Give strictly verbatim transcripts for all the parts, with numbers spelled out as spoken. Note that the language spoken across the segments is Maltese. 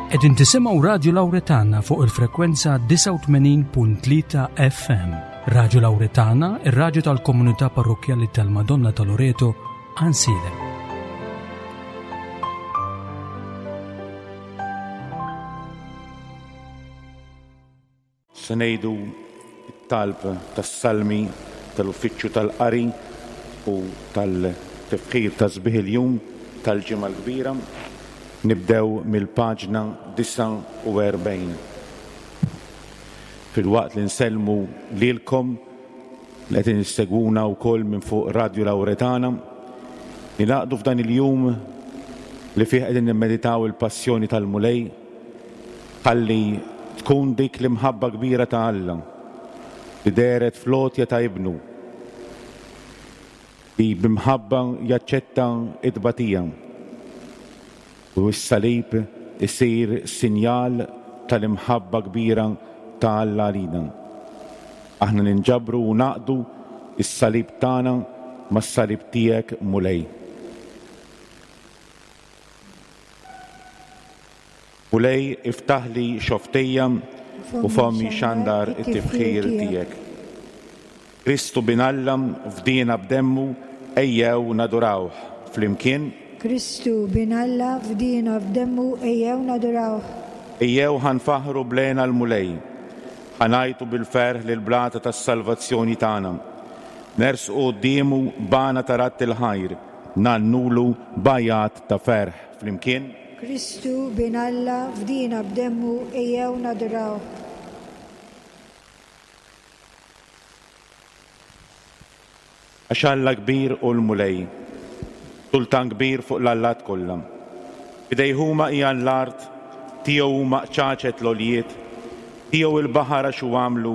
Qegħdin tisimgħu Radju Lawretana fuq il-frekwenza disgħa u tmenin punt tlieta F M. Radju Lawretana, ir-radju tal-komunità parrokkjali tal-Madonna ta' Loreto, Għajnsielem. Se ngħidu t-talb tas-salmi tal-uffiċċju tal-qari u tal-tifħir ta' sbieħ il-jum tal-Ġimgħa l-Kbira. Nibdew mill-paġna disgħa u erbgħin. Filwaqt li nsellmu lilkom li qed issegwuna wkoll minn fuq Radju Lawretana, nilaqdu f'dan il-jum li fih qegħdin nimmeditaw il-passjoni tal-Mulej, ħalli tkun dik l-imħabba kbira ta' Alla li dehret fl-għotja ta' Ibnu, li b'imħabba jaċċetta t-tbatija u s-salib isir sinjal tal-imħabba kbira ta' Alla għalina. Aħna ninġabru u naqdu s-salib tagħna mas-salib tiegħek, Mulej. Mulej, iftaħli xoftejja u fommi xandar it-tifħir tiegħek. Kristu bin Alla fdina b'demmu, ejjew nadurawh flimkien. Kristu bin Alla fdina b'demmu, ejjew nadurawh. Ejjew ħanfaħru blena l-Mulej, ħanajtu bil-ferħ lil blata tas-salvazzjoni tagħna. Nersqu quddiemu b'għana ta' radd il-ħajr, nannulu b'għajat ta' ferħ flimkien. Kristu bin Alla fdina b'demmu, ejjew nadurawh. Għax Alla kbir u l-Mulej, sultan kbir fuq l-allat kollha. Bidejh huma hija l-art, tiegħu huma qċaċet l-għoljiet, tiegħu il-baħar għax hu għamlu,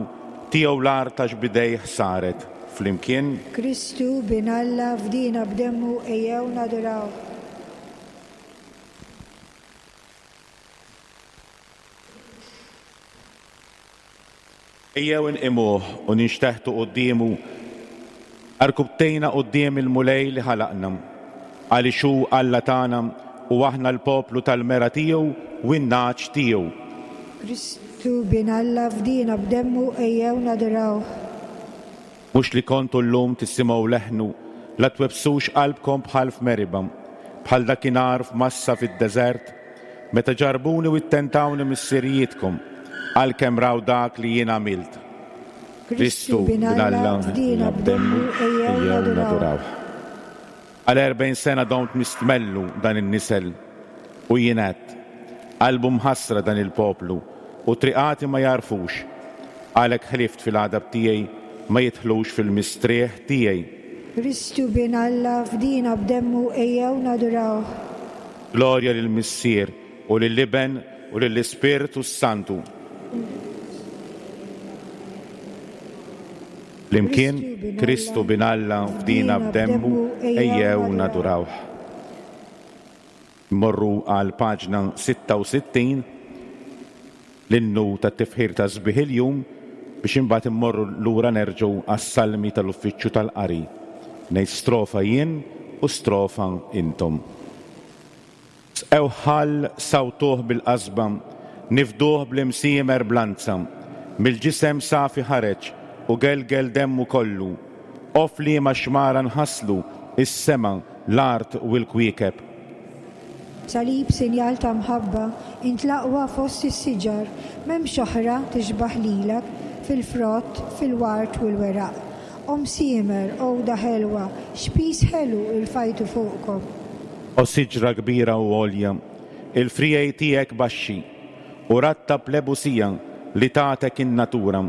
tiegħu l-art għax bidejh saret. Flimkien. Kristu bin Alla fdina b'demmu, ejjew nadurawh. Ejjew inqimuh u ninxteħtu quddiemu, arkubtejna quddiem il-Mulej li ħalaqna, għaliex hu Alla tagħna u aħna l-poplu tal-mera tiegħu u n-nagħaġ tiegħu. Kristu bin Alla fdina b'demmu, ejjew nadurawh. Mhux li kontu llum tisimgħu leħnu, la twebsux qalbkom bħal f'Meriba, bħal dakinhar f'Massa fid-deżert, meta ġarbuni u ttentawni missirijietkom, għalkemm raw dak li jien għamilt. Kristu bin Alla fdina b'demmu, ejjew nadurawh. Għal erbgħin sena domt mistmellu dan in-nisel u jien għedt, qalbu mħassra dan il-poplu u triqati ma jarfux, għalhekk ħlift fil-għadab tiegħi ma jidħlux fil-mistrieħ tiegħi. Kristu bin Alla fdina b'demmu, ejjew nadurawh. Glorja lill-Missier u lill-Iben u lill-Ispirtu s-Santu. Flimkien, Kristu bin Alla fdina b'demmu, ejjew nadurawh. Mmorru għal paġna sitta u sittin, l-innu tat-tifħir ta' sbieħ il-jum, biex imbagħad immorru lura nerġgħu għas-salmi tal-uffiċċju tal-qari. Ngħid strofa jien u strofa intom. Sqew ħall sawtuh bil-qasba, nifduh bl-imsiemer blanza, mill-ġisem safi ħareġ u gelgel demmu kollu. Of li ma xmara nħaslu is-sema, l-art u l-kwiekeb. Salib sinjal ta' mħabba, intlaqwa fost is-siġar, m'hemmx oħra tixbaħ lilek fil-frott, fil-wart u l-weraq. Om siemer, għoda ħelwa, xpis ħelu irfajtu fuqkom. O siġra kbira u għolja, il-frijej tiegħek baxxi, u ratta plebusija li tagħtek in-natura.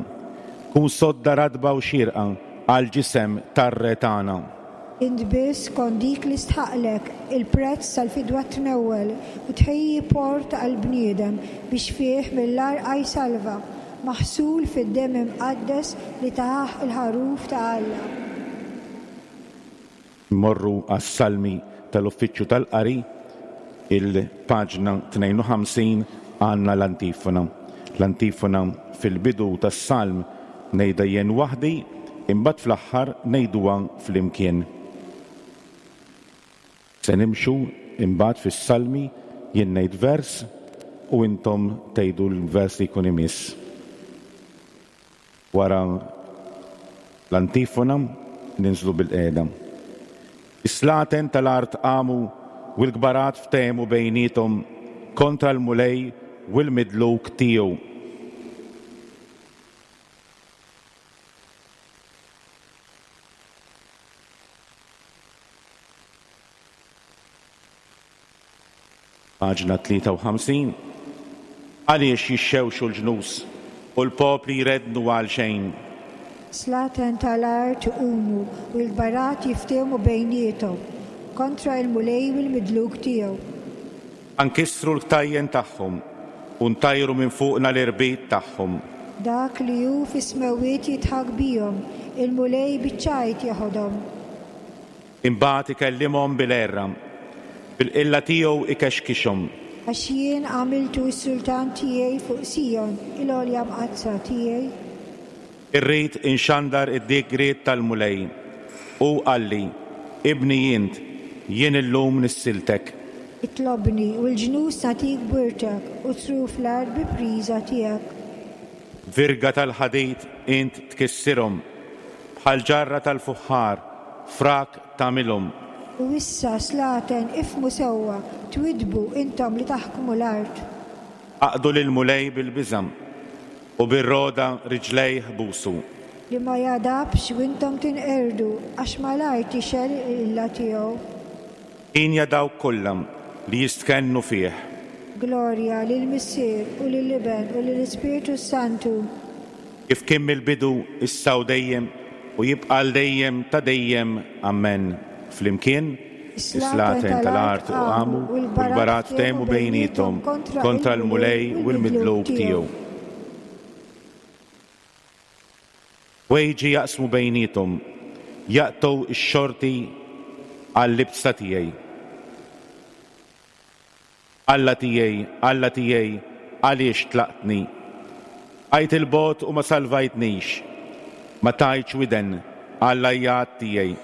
Kun sodda radba u xirqa għal ġisem tarre tagħna. Int biss kont dik li stħaqlek il-prezz tal-fidwa tnewwel u tħejji port għall-bniedem biex fih mill-għarqa jsalva, maħsul fid-demm imqaddes li taħ il-ħaruf ta' Alla. Mmorru għas-salmi tal-uffiċċju tal-qari, il-paġna tnejn u ħamsin għandna l-antifona. L-antifona fil-bidu tas-salm ngħidha jien waħdi, imbagħad fl-aħħar ngħiduha flimkien. Se nimxu imbagħad fis-salmi jien ngħid vers u intom tgħidu l-vers li jkun imiss. Wara l-antifona ninżlu bilqiegħda. Is-slaten tal-art qamu u l-kbarat ftehmu bejniethom kontra l-Mulej u l-midluk tiegħu. Paġna tlieta u ħamsin. Għaliex jixxewxu l-ġnus u l-popli jrednu għal xejn? Slaten tal-art iqumu u l-kbarat jiftehmu bejniethom kontra l-Mulej u l-midluk tiegħu. Ankissru l-ktajjen tagħhom u ntajru minn fuqna l-irbit tagħhom. Dak li hu fis-smewwiet jidħak bihom, il-Mulej biċ-ċajt jeħodhom. Imbagħad ikellimhom bil-għerra, bil-qilla tiegħu ikexkixhom. Għax jien għamiltu s-sultan tiegħi fuq Sijon, il-għolja mqaddsa tiegħi. Irrid inxandar id-digriet tal-Mulej. U qalli, ibni int, jien illum nissiltek. Itlobni u l-ġnus nagħtik b'wirtek u truf l-art bi priża tiegħek. Virga tal-ħadid int tkissirhom, bħal ġarra tal-fuħħar, frak tagħmilhom. U issa slaten ifhmu sewwa, twidbu intom li taħkmu l-art. Aqdu lill-Mulej bil-biża' u bir-roda riġlejh busu. Li ma jadabx u intom tinqerdu, għax malajr tixgħel il-qilla tiegħu. Hienja dawk kollha li jistkennu fih. Glorja lill-Missier u lill-Iben u lill-Ispirtu Santu. Kif kien mill-bidu, issa u dejjem, u jibqa' għal dejjem ta' dejjem. Amen. Flimkien, is-slaten tal-art u qamu u l-kbarat ftehmu bejniethom kontra l-Mulej u l-midluk tiegħu. Ħwejġi jaqsmu bejniethom, jaqtgħu x-xorti għall-libsa tiegħi. Alla tiegħi, Alla tiegħi, għaliex tlaqtni? Għajt il-bogħod u ma salvajtnix, ma tajtx widen għall-għajjat tiegħi.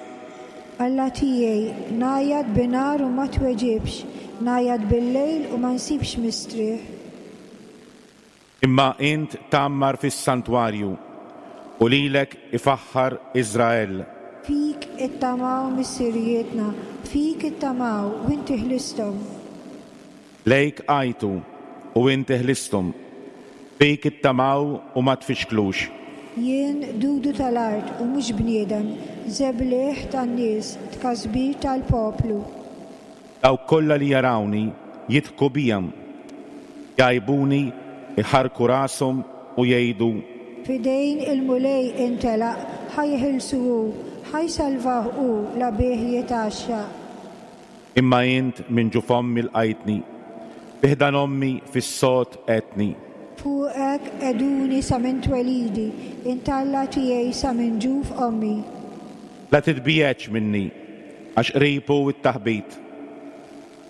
Alla tiegħi, ngħajjat binhar u ma tweġibx, ngħajjat bil-lejl u ma nsibx mistrieħ. Imma int tgħammar fis-santwarju u lilek ifaħħar Iżrael. Fik ittamaw missirijietna, fik ittamaw u inti ħlisthom. Lejk għajtu u inti ħlisthom, fik ittamaw u ma tfixklux. Jien dudu tal-art u mhux bniedem, żebliħ tan-nies, tkasbir tal-poplu. Dawk kollha li jarawni jidħku bija, jgħajbuni, iħarku rashom u jgħidu: F'idejn il-Mulej intelaq, ħa jeħilsu hu, ħa jsalvah hu la bih jitgħaxxaq. Imma int minn ġuf ommi lqajtni, bi ħdan ommi fis-sod għedtni. Fuqek qegħduni sa minn twelidi, int Alla tiegħi sa minn ġuf ommi. La titbiegħedx minni, għax qrib hu t-taħbit,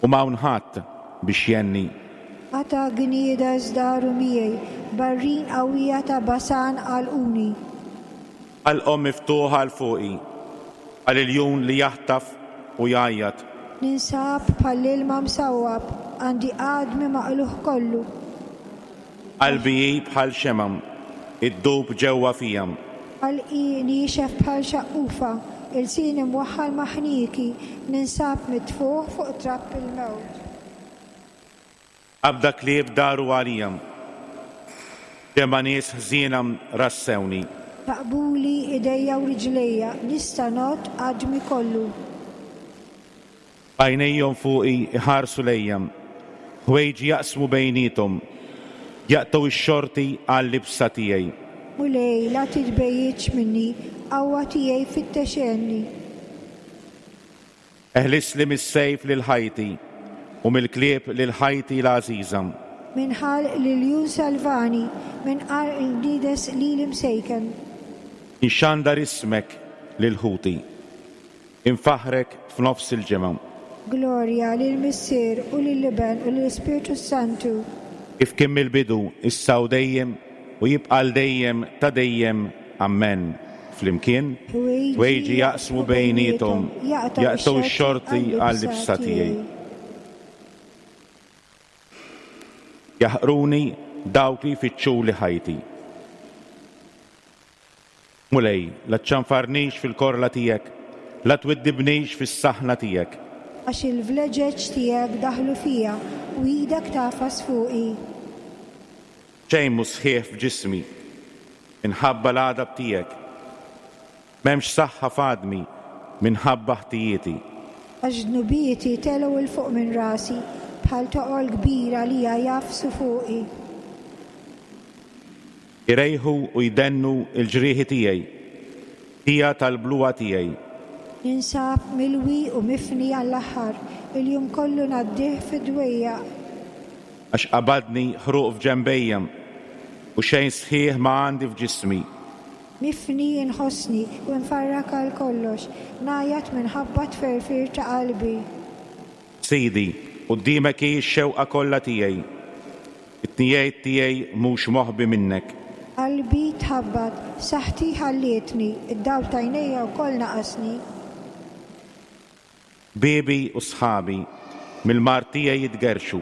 u m'hawn ħadd biex jgħinni. Qata' gniedes daru miegħi, barrin qawwija ta' Basan għalquni. Ħalqhom miftuħa għal fuqi, bħal iljun li jaħtaf u jgħajjat. Ninsab bħall-ilma msawwab, għandi għadmi maqlugħ kollu. Qalbi hi bħal xemgħa, iddub ġewwa fija. Ħalqi niexef bħal xaqqufa, ilsieni mwaħħal ma' ħnieki, ninsab mitfuħ fuq trapp il-mewt. Qabda klieb daru għalija, ġemgħa nies ħżiena rassewni. Taqbuli idejja u riġlejja, nista' ngħodd għadmi kollu. Għajnejhom fuqi iħarsu lejja, ħwejġi jaqsmu bejniethom, jaqtgħu x-xorti għall-libsa tiegħi. Mulej, la titbejjitx minni, qawwa tiegħi fittex għenni. Eħlisli mis-sejf lil ħajti u mill-klieb lil ħajti l-għażiża. Minn ħalq l-iljun salvani, minn qarn il-gniedes lili msejken. Inxandar ismek lil ħuti, infaħħrek f'nofs il-ġemgħa. Glorja lill-Missier u lill-Iben u lill-Ispirtu Santu. Kif kien mill-bidu, issa u dejjem, u jibqa' għal dejjem ta' dejjem. Amen. Flimkien, ħwejġi jaqsmu bejniethom, jaqtgħu x-xorti għall-libsa tiegħi. Jaħqruni dawk li jfittxuli ħajti. Mulej, la ċċanfarnix fil-korla tiegħek, la twiddibnix fis-saħna tiegħek. Għax il-vleġeġ tiegħek daħlu fija u idek tagħfas fuqi. Xejn mhu sħiħ f'ġismi, minħabba l-għadab tiegħek. M'hemmx saħħa f'għadmi minħabba ħtijieti. Għax dnubieti telgħu 'l fuq minn rasi, bħal toqol kbir għalija jagħfsu fuqi. Irejħu u jdennu l-ġrieħi tiegħi, hija tal-bluha tiegħi. Ninsab milwi u mifni għall-aħħar, il-jum kollu ngħaddih fid-dwejjaq. Għax qabadni ħruq f'ġenbejja u xejn sħiħ ma għandi f'ġismi. Mifni nħossni u nfarrak għal kollox, ngħajjat minħabba tferfir ta' qalbi. Sidi, quddiemek hi x-xewqa kollha tiegħi. It-tnejjed tiegħi mhux moħbi minnek. Qalbi tħabbat, saħħti ħallietni, id-dawl t'għajnejja wkoll naqasni. Ħbiebi u sħabi mill-mard tiegħi jitgerrxu,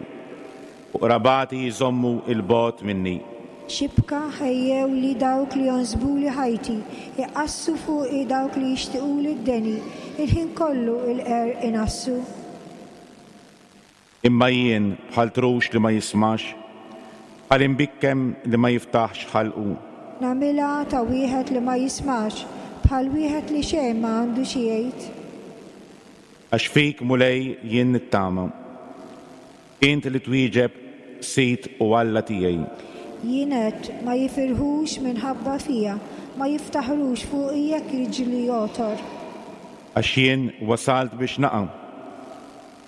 u qrabati jżommu 'l bogħod minni. Xibka ħejjewli dawk li jonsbuli ħajti, iqassu fuqi dawk li jixtiquli d-deni, il-ħin kollu il-qerq inassu. Imma jien bħal trux li ma jismax, bħal imbikkem li ma jiftaħx ħalqu. Nagħmilha ta' wieħed li ma jismax, bħal wieħed li xejn ma għandu xi jgħid. Għax fik, Mulej, jien nittama. Int li twieġeb Sid u Alla tiegħi. Jien għedt ma jifirħux minħabba fija, ma jiftaħrux fuqi jekk jiġri għotor. Għax jien wasalt biex naqa',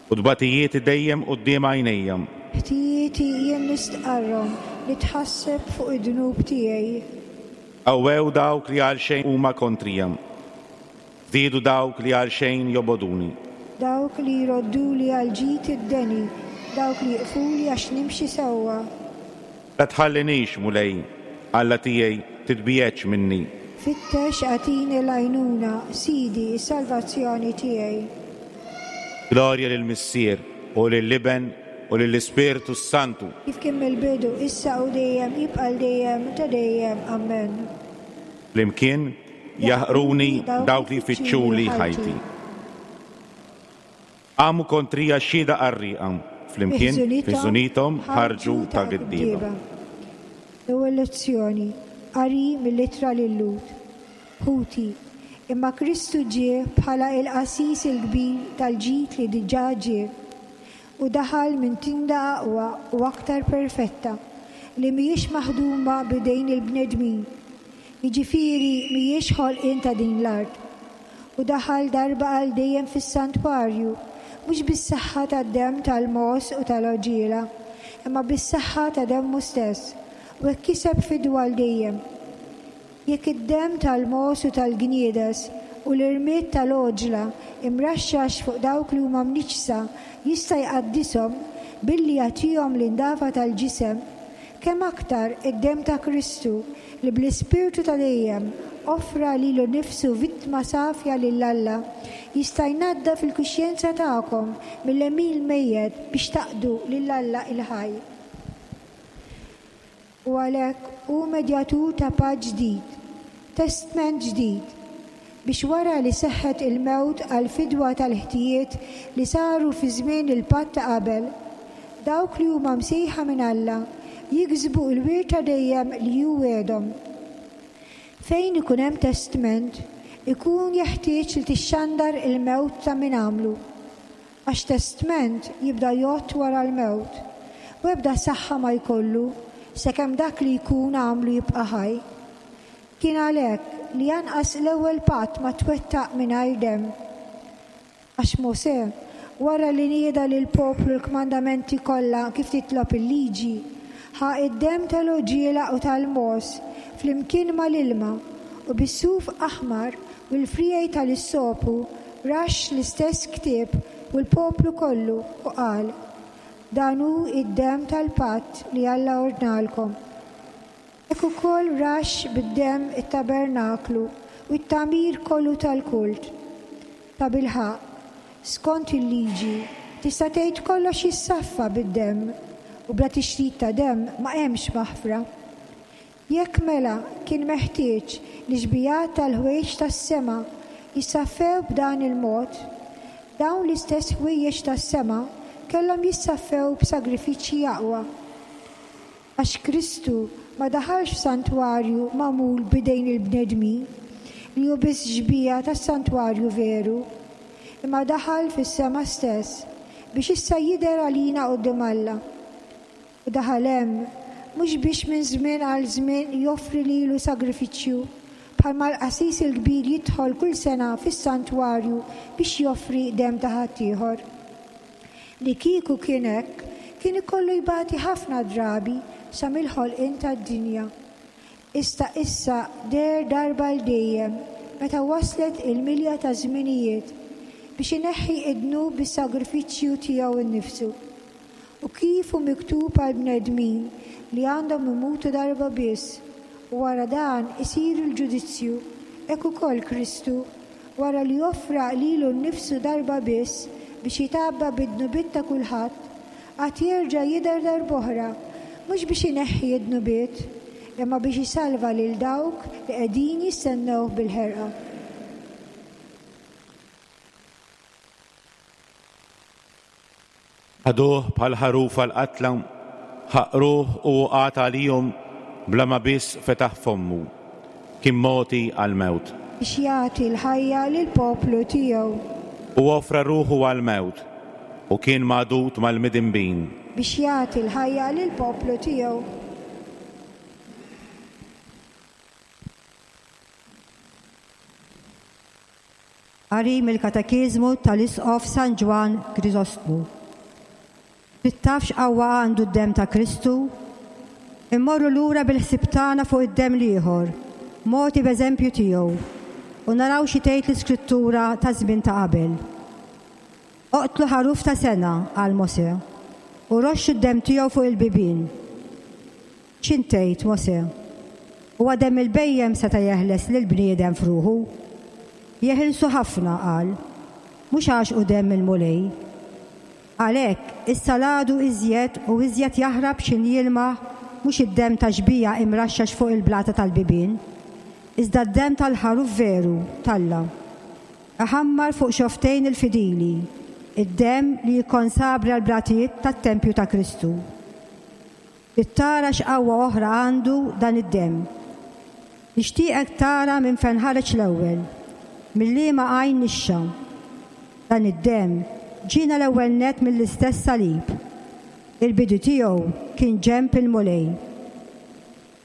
u tbatijieti dejjem quddiem għajnejja. Ħtijieti jien nistqarrhom, nitħasseb fuq id-dnub tiegħi. Qawwew dawk li għal xejn huma kontrija, żdiedu dawk li għal xejn jobogħduni. Dawk li jrodduli għal ġid id-deni, dawk li jiqfuli għax nimxi sewwa. La tħallinix, Mulej, Alla tiegħi, titbiegħedx minni. Fittex agħtini l-għajnuna, Sidi, is-salvazzjoni tiegħi. Glorja lill-Missier u lill-Iben u lill-Ispirtu s-Santu. Kif kien mill-bidu, issa u dejjem, jibqa' dejjem ta' dejjem. Amen. Flimkien jaħqruni dawk li jfittxuli ħajti. Qamu kontrija xhieda qarrieqa, flimkien fi ħżunithom ħarġu ta' giddieba. L-ewwel lezzjoni, qari mill-ittra lil-Lhud. Ħuti, imma Kristu ġie bħala il-qassis il-kbir tal-ġid li diġà ġie, u daħal minn tinda aqwa u aktar perfetta li mhijiex maħduma b'idejn il-bnedmin, jiġifieri mhijiex ħolqien ta' din l-art. U daħal darba għal dejjem fis-santwarju, mhux bis-saħħa tad-demm tal-mogħoż u tal-għoġiela, imma bis-saħħa ta' demmu stess, u hekk kiseb fidwa għal dejjem. Jekk id-demm tal-mogħoż u tal-gniedes u l-irmied tal-għoġla imraxxax fuq dawk li huma mniġġsa jista' jqaddishom billi jagħtihom l-indafa tal-ġisem, kemm aktar id-demm ta' Kristu li bl-Ispirtu ta' dejjem offra lilu nnifsu vittma safja lil Alla jista' jnaddaf il-kuxjenza tagħkom mill-għemil mejjet biex taqdu lil Alla il-ħaj. U għalhekk hu medjatur ta' patt ġdid, testment ġdid, biex wara li seħħet il-mewt għal fidwa tal-ħtijiet li saru fi żmien il-patt ta' qabel, dawk li huma msejħa minn Alla jiksbu l-wirt ta' dejjem li hu wegħedhom. Fejn ikun hemm testment, ikun jeħtieġ li tixxandar il-mewt ta' min għamlu. Għax testment jibda jgħodd wara l-mewt, u ebda saħħa ma jkollu sakemm dak li jkun għamlu jibqa' ħaj. Kien għalhekk li anqas l-ewwel patt ma twettaq mingħajr demm. Għax Mosè, wara li nieda lill-poplu l-kmandamenti kollha kif titlob il-liġi, ħa id-demm tal-għoġiela u tal-mogħoż flimkien mal-ilma u bis-suf aħmar u l-friegħi tal-issopu raxx l-istess ktieb u l-poplu kollu u qal: Dan hu id-demm tal-patt li Alla ordnalkom. Hekk ukoll raxx bid-demm it-tabernaklu u t-tagħmir kollu tal-kult. Tabilħaqq, skont il-liġi, tista' tgħid kollox jissaffa bid-demm, u bla tixrid ta' demm ma hemmx maħfra. Jekk mela kien meħtieġ li xbihat tal-ħwejjeġ tas-sema jissaffew b'dan il-mod, dawn l-istess ħwejjeġ tas-sema kellhom jissaffew b'sagrifiċċji aqwa. Għax Kristu ma daħalx f'santwarju magħmul b'idejn il-bnedmin, li hu biss xbieha tas-santwarju veru, imma daħal fis-sema stess biex issa jidher għalina quddiem Alla. U daħal hemm mhux biex minn żmien għal żmien joffri lilu sagrifiċċju, bħalma l-qassis il-kbir jidħol kull sena fis-santwarju biex joffri demm ta' ħaddieħor. Li kieku kien hekk, kien ikollu jbati ħafna drabi sa mill-ħolqien tad-dinja. Issa issa deher darba għal dejjem meta waslet il-milja ta' żminijiet biex ineħħi id-dnub bis-sagrifiċċju tiegħu nnifsu. U kif hu miktub għal bnedmin li għandhom imutu darba biss, u wara dan isir il-ġudizzju, hekk ukoll Kristu, wara li offra lilu nnifsu darba biss biex jitgħabba bid-dnubiet ta' kulħadd, għad jerġa' jidher darb'oħra, mhux biex ineħħi id-dnubiet, imma biex isalva lil dawk li qegħdin jistennew bil-ħerqa. Ħaduh bħal ħaruf għall-qatla, ħaqruh u qagħad għalihom bla ma biss fetaħ fommu. Kien mogħti għall-mewt. Biex jagħti l-ħajja lill-poplu tiegħu. U offra ruħu għall-mewt u kien magħdud mal-midinbin. Biex jagħti l-ħajja lill-poplu tiegħu. Qari mill-Katekiżmu tal-Isqof San Ġwann Krisostmu. Trid taf x'qawwa għandu d-demm ta' Kristu? Immorru lura bil-ħsieb tagħna fuq id-demm l-ieħor, mogħti b'eżempju tiegħu, u naraw xi tgħid l-Iskrittura ta' żmien ta' qabel. Oqtlu ħaruf ta' sena, qal Mosè, u roxxu d-demm tiegħu fuq il-bibien. X'int tgħid, Mosè? Huwa demm il-bhejjem seta' jeħles lill-bniedem f'ruħu? Jeħilsu ħafna, qal, mhux għax hu demm il-Mulej. Għalhekk, issa l-għadu iżjed u iżjed jaħrab x'in jilmaħ mhux id-demm ta' xbieha imraxxax fuq il-blata tal-bibien, iżda d-demm tal-ħaruf veru t'Alla. Iħammar fuq xoftejn il-fidili, id-demm li jikkonsabra l-blatijiet tat-tempju ta' Kristu. Trid tara x'qawwa oħra għandu dan id-demm. Nixtieqek tara minn fejn ħareġ l-ewwel, mill-liema għajn nixxa. Dan id-demm ġiena l-ewwel nett mill-istess salib. Il-bidu tiegħu kien ġenb il-Mulej.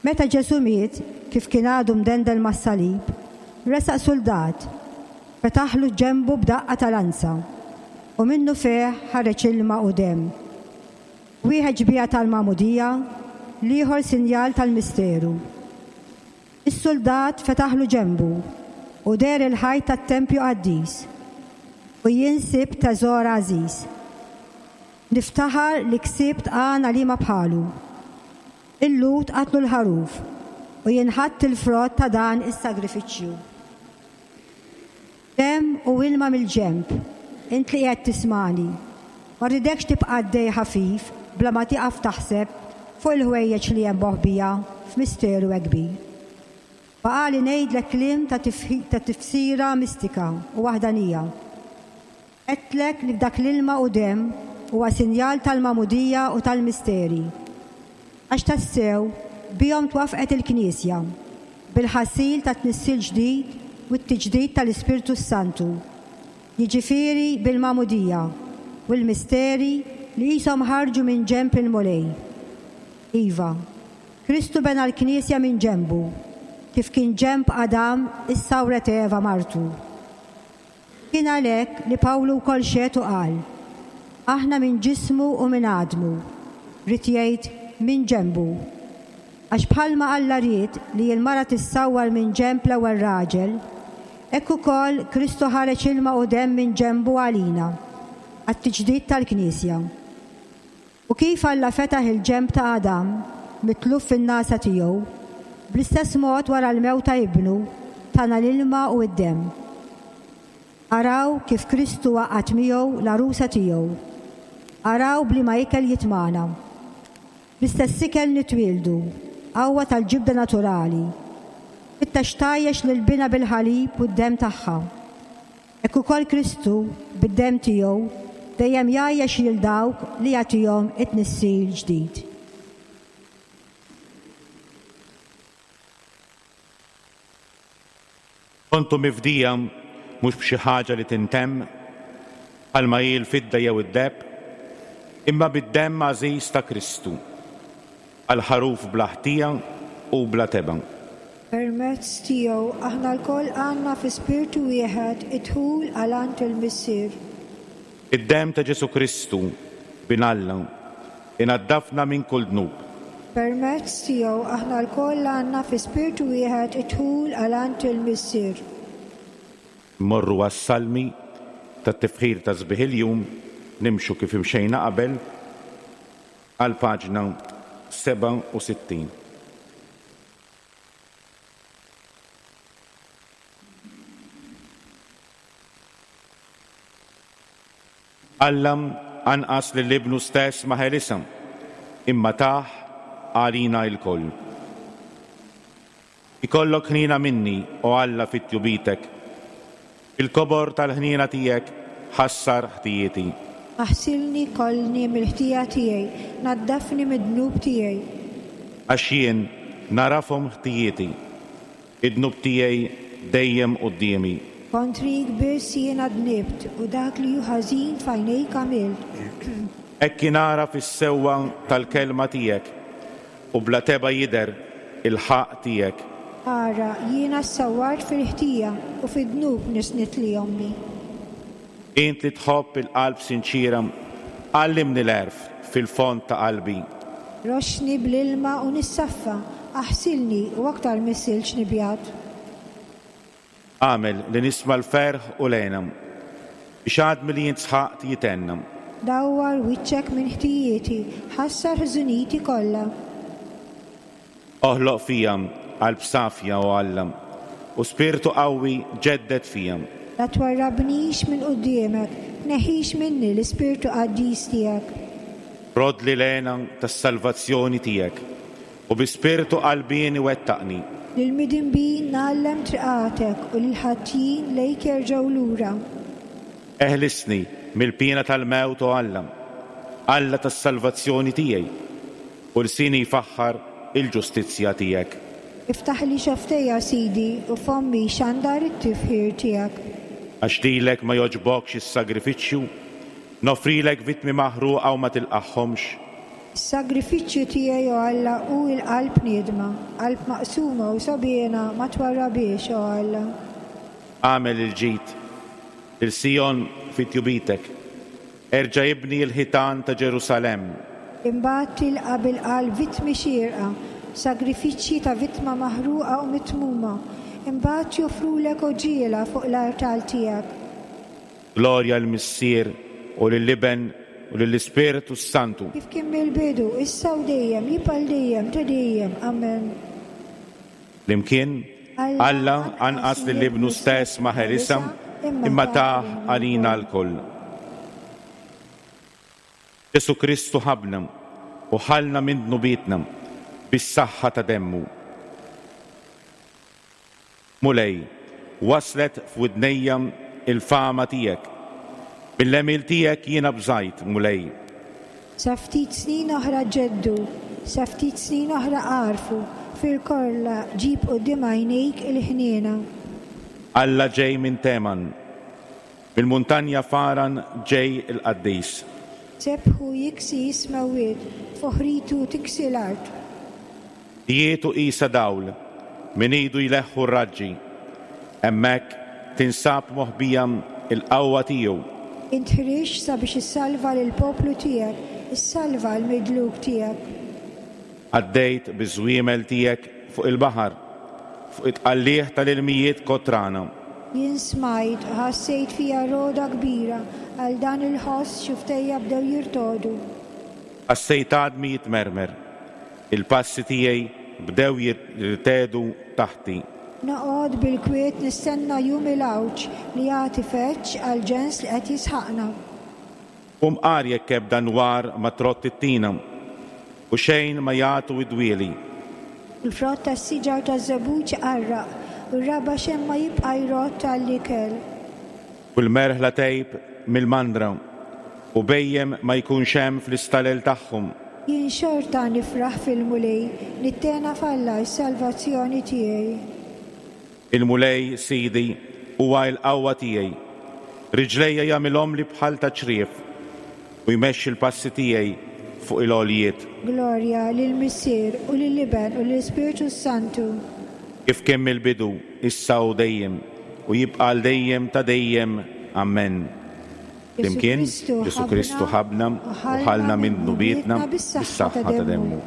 Meta Ġesù miet, kif kien għadu mdendel mas-salib, resaq suldat, fetaħlu ġenbu b'daqqa ta' lanza, u minnu fih ħareġ ilma u demm. Wieħed xbieha tal-magħmudija, l-ieħor sinjal tal-misteru. Is-suldat fetaħlu ġenbu u deher il-ħajt tat-tempju qaddis, u jien sibt teżor għażiż. Niftaħar li ksibt għana li ma bħalu. Il-Lhud qatlu l-ħaruf u jien ħadt il-frott ta' dan is-sagrifiċċju. Demm u ilma mill-ġenb, int li qiegħed tismani, ma rridekx tibqa' għaddej ħafif bla ma tieqaf taħseb fuq il-ħwejjeġ li hemm moħbija f'misteru hekk kbir. Baqali ngħidlek kliem ta' ta' tifsira mistika u waħdanija. Għedtlek li f'dak l-ilma u demm huwa sinjal tal-magħmudija u tal-misteri. Għax tassew bihom twaffqet il-Knisja bil-ħasil ta' tnissil ġdid u t-tiġdid tal-Ispirtu Santu, jiġifieri bil-magħmudija u l-misteri li qishom ħarġu minn ġenb il-Mulej. Iva, Kristu bena l-Knisja minn ġenbu, kif kien ġenb Adam issawret Eva martu. Kien għalhekk li Pawlu wkoll xehed u qal, aħna minn ġismu u minn għadmu, ried jgħid minn ġenbu. Għax bħalma Alla ried li l-mara tissawwar minn ġenb l-ewwel raġel, hekk ukoll Kristu ħareġ ilma u demm minn ġenbu għalina, għat-tiġdid tal-Knisja. U kif Alla fetaħ il-ġenb ta' Adam, mitluf fin-nasa tiegħu, bl-istess mod wara l-mewt ta' ibnu, tana l-ilma u d-demm. Araw kif Kristu għaqqad miegħu l-għarusa tiegħu. Araw bliema ikel jitmagħna. Bl-istess ikel nitwieldu, qawwa tal-ġibda naturali. Fittex tgħajjex lil binha bil-ħalib u d-demm tagħha. Hekk ukoll Kristu bid-demm tiegħu dejjem jgħajjex lil dawk li jagħtihom it-tnissil ġdid. Kontu mifdija mhux b'xi ħaġa li tintemm, bħalma hi l-fidda jew id-deheb, imma bid-demm għażiż ta' Kristu, għal ħaruf bla ħtija u bla tebgħa. Permezz tiegħu aħna lkoll għandna fi spirtu wieħed id-dħul għal għand il-Missier. Id-demm ta' Ġesù Kristu, bin Alla, inaddafna minn kull dnub. Permezz tiegħu aħna lkoll għandna fi spirtu wieħed id-dħul għal għand il-Missier. Mmorru għas-salmi tat-tifħir ta' sbieħ il-jum, nimxu kif imxejna qabel għal paġna sebgħa u sittin. Alla anqas lil ibnu stess ma ħelisha, imma tah għalina lkoll. Ikollok ħniena minni, o Alla, fit-tjubitek. Il-kobor tal-ħniena tiegħek ħassar ħtijieti. Aħsilni kollni mill-ħtija tiegħi, naddafni mid-dnub tiegħi. Għax jien narafhom ħtijieti, id-dnub tiegħi dejjem quddiemi. Kontrik biss jiena dnibt u dak li hu ħażin f'għajnejk għamilt. Hekk ingħaraf is-sewwa tal-kelma tiegħek u bla teba' jidher il-ħaqq tiegħek. Ara, jiena ssawwart fil-ħtija u fid-dnub nisnitli ommi. Int li tħobb il-qalb sinċira, għallimni l-għerf fil-fond ta' qalbi. Roxxni bl-ilma u nissaffa, aħsilni u aktar mis-silġ nibjad. Għamel li nisma' l-ferħ u l-għena, biex għadmi li jien sħaqt jitenna. Dawwar wiċċek minn ħtijieti, ħassar ħżuniti kollha. Oħloq fija qalb safja, o Alla, u spirtu qawwi ġedded fija. La twarrabnix minn quddiemek, tneħħix minni l-ispirtu qaddis tiegħek. Rodli l-għena tas-salvazzjoni tiegħek, u bi spirtu qalbieni wettaqni. Lil-midinbin ngħallem triqatek u lil-ħatjin lejk jerġgħu lura. Eħlisni mill-piena tal-mewt, o Alla, Alla tas-salvazzjoni tiegħi, u lsini jfaħħar il-ġustizzja tiegħek. Iftaħ li xaftejja, Sidi, u fommi xandar it-tifħir tiegħek. Għax lilek ma jogħġbokx is-sagrifiċċju, nofrilek vittmi maħruqa u ma tilqagħhomx. Is-sagrifiċċju tiegħi, o Alla, hu l-qalb niedma, qalb maqsuma u sobiena ma twarrabiex, o Alla. Għamel il-ġid lil Sijon fi tjubitek, erġa' ibni l-ħitan ta' Ġerusalemm. Imbagħad tilqa' bil-qalb vittmi xierqa, sagrifiċċji ta' vittma maħruqa u mitmuma, imbagħad joffrulek għoġiela fuq l-artal tiegħek. Glorja l-Missier u lill-Iben u lill-Ispirtu s-Santu. Kif kien mill-bidu, issa u dejjem, jibqa' l dejjem ta' dejjem. Amen. Flimkien, Alla anqas lil ibnu stess ma ħelisha, imma tah għalina lkoll. Ġesù Kristu ħabna u ħalna minn dnubietna bis-saħħa ta' demmu. Mulej, waslet f'widnejja il-fama tiegħek. Mill-għemil tiegħek jiena bżajt, Mulej. Sa ftit snin oħra ġeddu, sa ftit snin oħra għarfu, fil-korla ġib quddiem għajnejk il-ħniena. Alla ġej minn Teman, mill-muntanja Faran ġej il-qaddis. Sebħu jiksi jismawiet, foħritu tiksi l-art. Jietu qisa dawl, min idu jleħħu r-raġġi. Hemmhekk tinsab moħbija il-qawwa tiegħu. Int ħriġt sabiex issalva lill-poplu tiegħek, issalva l-midluk tiegħek. Għaddejt biż-żwiemel tiegħek fuq il-baħar, fuq it-tqallieħ tal-ilmijiet kotrana. Jien smajt u ħassejt fija roda kbira, għal dan il-ħoss xuftejja bdew jirtodu. Ħassejt għadmi jitmermer, il-passi tiegħi bdew jirtedu taħti. Noqgħod bil-kwiet nistenna jum il-għawġ li jagħti feċċ għal ġens li qed jisħaqna. U mqar jekk ebda nwar ma trott it-tina, u xejn ma jagħtu d-dwieli. Il-frott tas-siġar taż-żebbuġ iqarraq, u r-raba' xejn ma jibqa' jrodd għall-ikel. U l-merħla tgħib mill-mandra, u bhejjem ma jkunx hemm fl-istalel tagħhom. Jien xorta nifraħ fil-Mulej, nittena f'Alla s-salvazzjoni tiegħi. Il-Mulej, Sidi, huwa l-qawwa tiegħi. Riġlejja jagħmilhomli bħal ta' ċriev u jmexxi l-passi tiegħi fuq il-għoljiet. Glorja lill-Missier u lill-Iben u lill-Ispirtu Santu. Kif kien mill-bidu, issa u dejjem, u jibqa' għal dejjem ta' dejjem. Amen. Flimkien, Ġesù Kristu ħabbna u ħallna minn dnubietna bis-saħħa ta' demmu.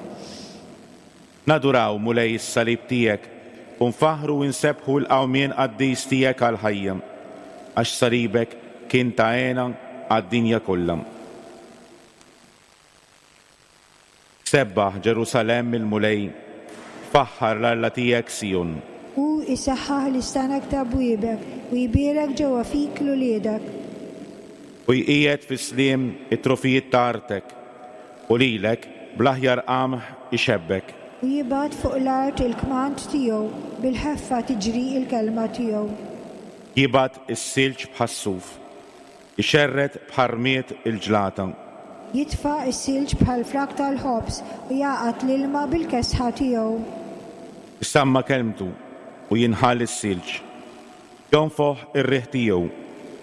Naduraw, Mulej, is-salib tiegħek u nfaħħru u nsebbħu l-qawmien qaddis tiegħek għall-ħajja, għax salibek kien ta' hena għad-dinja kollha. Sebbaħ Ġerusalemm il-Mulej, faħħar l-Alla tiegħek Sijon. Hu jsaħħaħ l-istanak ta' bwiebek u jbierek ġewwa fik l-uliedek. U jqiegħed fis-sliem it-trofijiet ta' artek u lilek bl-aħjar qamħ ixebbek. U jibgħat fuq l-art il-kmand tiegħu, bil-ħeffa tiġri l-kelma tiegħu. Jibgħat is-silġ bħas-suf, ixerred bħar-rmied il-ġlata. Jitfa' s-silġ bħal frak tal-ħobż u jagħqad l-ilma bil-kesħa tiegħu. Isamma kelmtu u jinħall is-silġ, jonfoħ ir-riħ tiegħu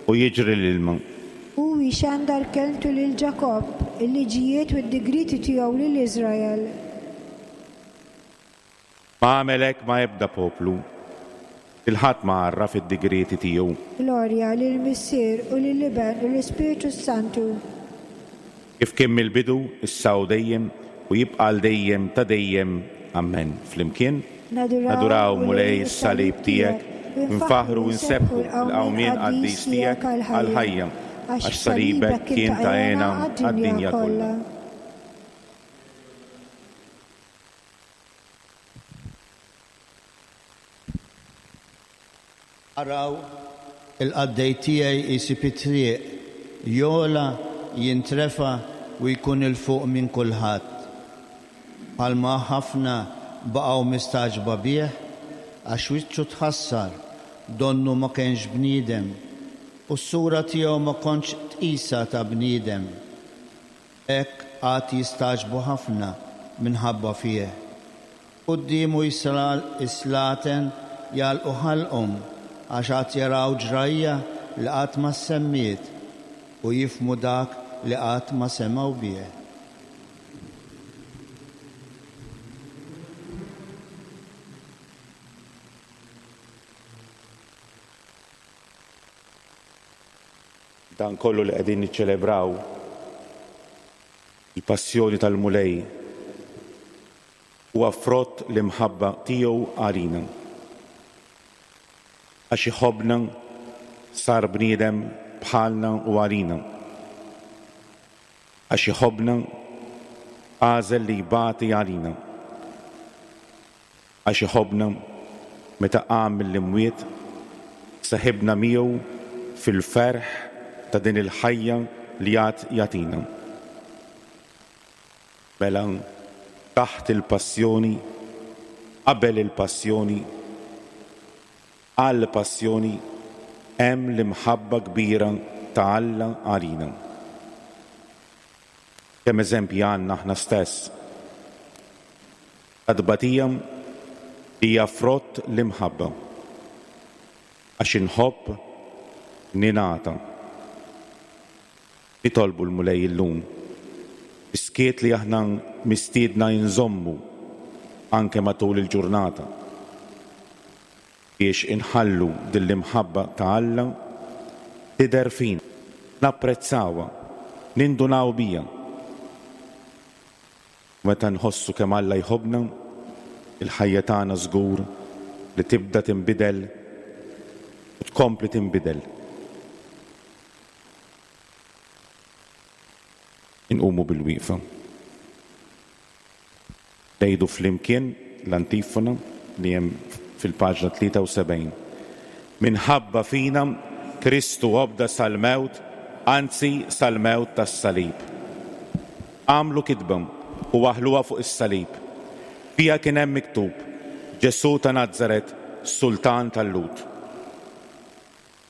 u jiġri l-ilma. Hu jxandar kelmtu lil Ġakobb, il-liġijiet u d-digrieti tiegħu lil Iżrael. Ma għamel hekk ma' ebda poplu, il-ħadd ma għarraf id-digrieti tiegħu. Glorja lill-Missier u lill-Iben u l-Ispirtu Santu. Kif kien mill-bidu, issa u dejjem, u jibqa' għal dejjem ta' dejjem. Amen. Flimkien, naduraw Mulej is-salib tiegħek, nfaħħru u nsebbħu l-qawmien qaddis tiegħek għall-ħajja, għax salibek kien ta' hena għad-dinja kollha. Araw, il-qaddej tiegħi jsib it-triq, jogħla, jintrefa' u jkun 'il fuq minn kulħadd. Bħalma ħafna baqgħu mistagħġba bih, għax wiċċu tħassar, donnu ma kienx bniedem, u s-sura tiegħu ma kontx tqisha ta' bniedem. Hekk għad jistagħġbu ħafna minħabba fih. Quddiemu is-slaten jagħlqu ħalqhom għax għad jaraw ġrajja li qatt ma ssemmiet u jifhmu dak li qatt ma semgħu bih. Dan kollu li qegħdin niċċelebraw il-passjoni tal-Mulej huwa frott l-imħabba tiegħu għalina. Għax iħobbna sar bniedem bħalna u għalina. Għax iħobbna għażel li jbati għalina. Għax iħobbna meta qam mill-imwiet seħibna miegħu fil-ferħ ta' din il-ħajja li għad jagħtina. Mela taħt il-passjoni, qabel il-passjoni, għall-passjoni hemm l-imħabba kbira ta' Alla għalina. Kemm eżempji għandna aħna stess. Ta' tbatija hija frott l-imħabba. Għax inħobb ningħata. Nitolbu l-Mulej illum. Iskiet li aħna mistiedna nżommu anke matul il-ġurnata biex inħallu din l-imħabba ta' Alla tidher fina, napprezzawha, nindunaw biha. Meta nħossu kemm Alla jħobbna, il-ħajja tagħna żgur li tibda tinbidel u tkompli tinbidel. Inqumu bil-wieqfa. Ngħidu flimkien l-antifona li hemm fil-paġna tlieta u sebgħin. Minħabba fina Kristu obda sal-mewt, anzi sal-mewt tas-salib. Għamlu kitba u waħħluha fuq is-salib. Fiha kien hemm miktub: Ġesù ta' Nazaret, Sultan tal-Lhud.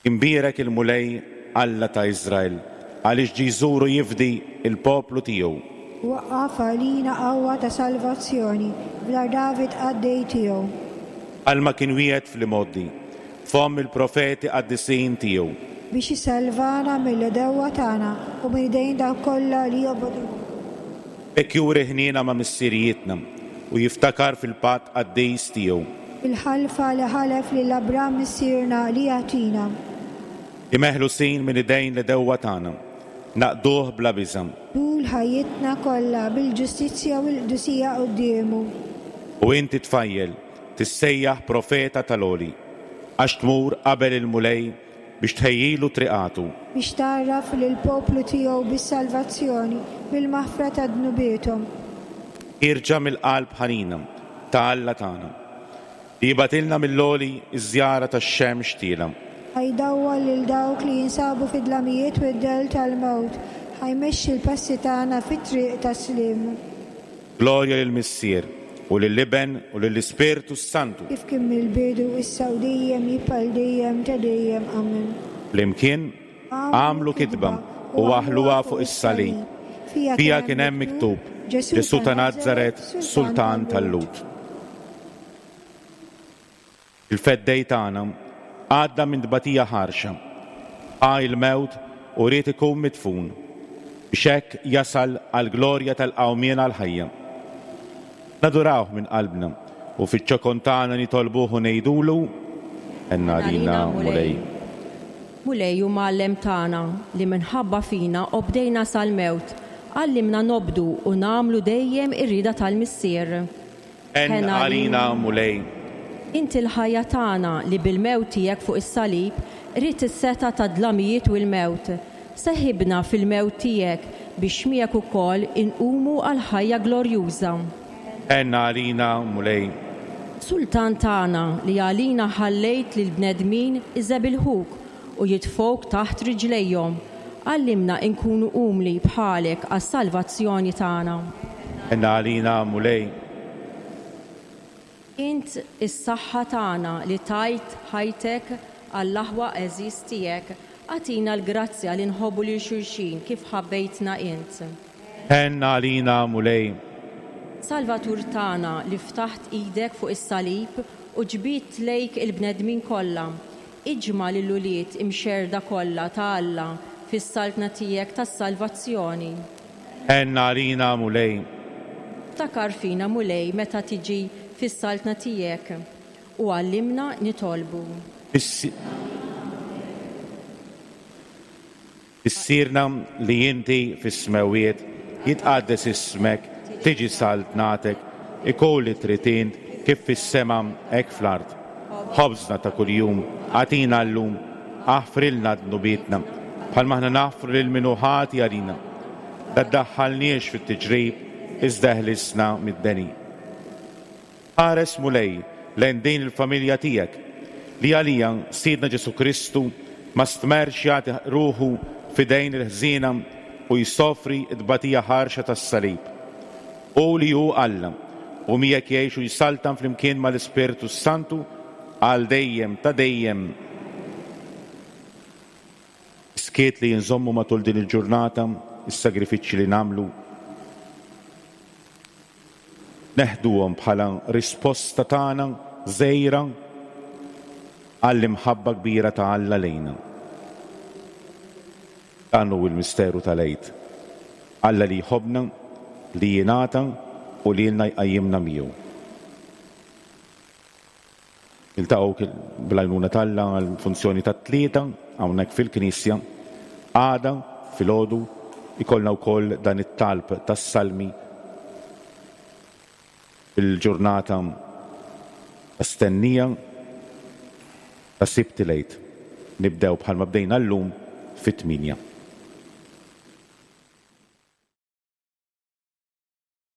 Imbierek il-Mulej Alla ta' Iżrael, għaliex ġie jżur u jifdi il-poplu tiegħu. Waqqaf għalina qawwa ta' salvazzjoni f'dar David qaddej tiegħu. Bħalma kien wiegħed fl-imgħoddi, fomm il-profeti qaddisin tiegħu. Biex isalvana mill-għedewwa tagħna u minn idejn dawk kollha li jobogħdu. B'hekk juri ħniena ma' missirijietna u jiftakar fil-patt qaddis tiegħu. Il-ħalfa li ħalef lil Abram missierna li jagħtina. Li meħlusin minn idejn l-għedewwa tagħna, naqduh bla biża'. Tul ħajjitna kollha bil-ġustizzja u l-qdusija quddiemu. U inti tfajjel tissejjaħ profeta tal-Għoli, għax tmur qabel il-Mulej biex tħejjilu triqatu. Biex tgħarraf lill-poplu tiegħu bis-salvazzjoni, bil-maħfra ta' dnubiethom. Ħierġa mill-qalb ħanina ta' Alla tagħna, li jibgħatilna mill-għoli iż-żjara tax-xemx tielgħa. Ħa jdawwal lil dawk li jinsabu fid-dlamijiet u d-dell tal-mewt, ħa jmexxi l-passi tagħna fit-triq tas-sliem. Glorja lill-Missier u lill-Iben u lill-Ispirtu Santu. Kif kien mill-bidu, issa u dejjem, jibqa' għal dejjem ta' dejjem. Amen. Flimkien għamlu kitba u waħħluha fuq is-salib. Fiha kien hemm miktub: Ġesù ta' Nazaret, Sultan tal-Lhud. Il-Feddej tagħna għadda minn tbatija ħarxa, ħa il-mewt u ried ikun midfun, biex hekk jasal għall-glorja tal-qawmien għall-ħajja. Nadurawh minn qalbna u fiċ-ċokon tagħna nitolbuh u ngħidulu: Ħenn għalina, Mulej. Mulej u Mgħallem tagħna li minħabba fina obdejna sal-mewt, għallimna nobdu u nagħmlu dejjem ir-rieda tal-Missier. Ħenn għalina, Mulej. Inti l-ħajja tagħna li bil-mewt tiegħek fuq is-salib qridt is-setgħa tad-dlamijiet u l-mewt. Seħibna fil-mewt tiegħek biex miegħek ukoll inqumu għal ħajja glorjuża. Ħenn għalina, Mulej. Sultan tagħna li għalina ħallejt lil bnedmin iżebilħuk u jitfgħuk taħt riġlejhom, għallimna nkunu umli bħalek għas-salvazzjoni tagħna. Ħenn għalina, Mulej. Int is-saħħa tagħna li tajt ħajtek għall-aħwa għeżież tiegħek, agħtina l-grazzja li nħobbu lil xulxin kif ħabbejtna int. Ħenn għalina, Mulej. Salvatur tagħna li ftaħt idek fuq is-salib u ġbidt lejk il-bnedmin kollha, iġma' lill-ulied imxerrda kollha ta' Alla fis-saltna tiegħek tas-salvazzjoni. Ħenn għalina, Mulej. Ftakar fina, Mulej, meta tiġi fis-saltna tiegħek u għallimna nitolbu. Missierna li inti fis-smewwiet, jitqaddes ismek, tiġi saltnatek, ikun li trid int kif fis-sema hekk fl-art. Ħobżna ta' kuljum agħtina llum, aħfrilna dnubietna, bħalma aħna naħfru lil min hu ħati għalina. La ddaħħalniex fit-tiġrib, iżda ħlisna mid-deni. Ħares, Mulej, lejn din il-familja tiegħek li għalija Sidna Ġesù Kristu ma stmerx jagħti ruħu f'idejn il-ħżiena u jsofri t-tbatija ħarxa tas-salib. U li hu Alla u miegħek jgħix u jsaltan flimkien mal-Ispirtu Santu għal dejjem ta' dejjem. Skiet li jinżommu matul din il-ġurnata, is-sagrifiċċji li nagħmlu, neħduhom bħala risposta tagħna żgħira għall-imħabba kbira ta' Alla lejna. Dan hu l-misteru tal-Għid. Alla li jħobbna, li jingħata u li lilna jqajjimna miegħu. Niltaqgħu bl-għajnuna t'Alla għall-funzjoni tat-tlieta hawnhekk fil-Knisja. Għada filgħodu ikollna wkoll dan it-talb tas-salmi il-ġurnata stennija ta' Sibt il-Għid. Nibdew bħalma bdejna llum fit-tmienja.